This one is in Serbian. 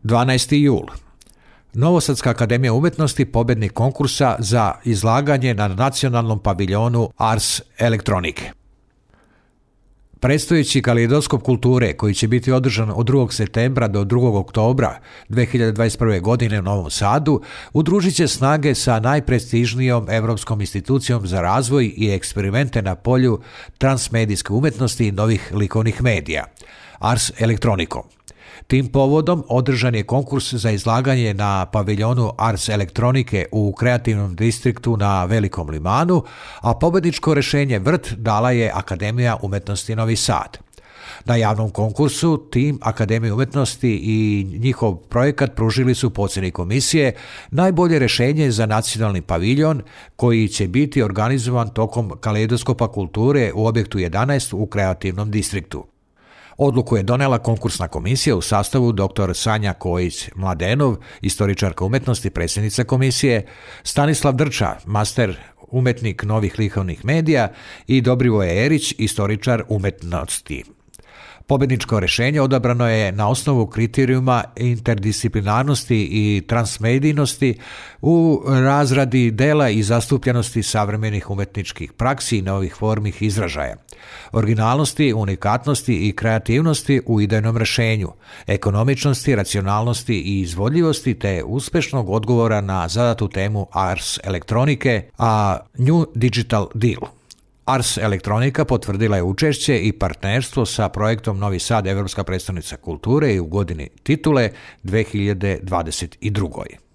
12. jul. Novosadska akademija umjetnosti pobjednik konkursa za izlaganje na nacionalnom paviljonu Ars elektronike. Predstojeći kaleidoskop kulture, koji će biti održan od 2. septembra do 2. oktobra 2021. godine u Novom Sadu, udružit će snage sa najprestižnijom europskom institucijom za razvoj i eksperimente na polju transmedijske umjetnosti i novih likovnih medija, Ars elektronikom. Tim povodom održan je konkurs za izlaganje na paviljonu Ars elektronike u kreativnom distriktu na Velikom Limanu, a pobjedničko rješenje Vrt dala je Akademija umjetnosti Novi Sad. Na javnom konkursu tim Akademije umjetnosti i njihov projekat pružili su po ocjeni komisije najbolje rješenje za nacionalni paviljon koji će biti organizovan tokom kaleidoskopa kulture u objektu 11 u kreativnom distriktu. Odluku je donela konkursna komisija u sastavu dr. Sanja Kojić-Mladenov, istoričarka umjetnosti, predsjednica komisije, Stanislav Drča, master umjetnik novih likovnih medija i Dobrivoje Erić, istoričar umjetnosti. Pobjedničko rješenje odabrano je na osnovu kriterijuma interdisciplinarnosti i transmedijnosti u razradi dela i zastupljenosti savremenih umjetničkih praksi i novih formih izražaja, originalnosti, unikatnosti i kreativnosti u idejnom rješenju, ekonomičnosti, racionalnosti i izvodljivosti te uspješnog odgovora na zadatu temu Ars elektronike, a New Digital Deal. Ars elektronika potvrdila je učešće i partnerstvo sa projektom Novi Sad, Europska predstavnica kulture i u godini titule 2022.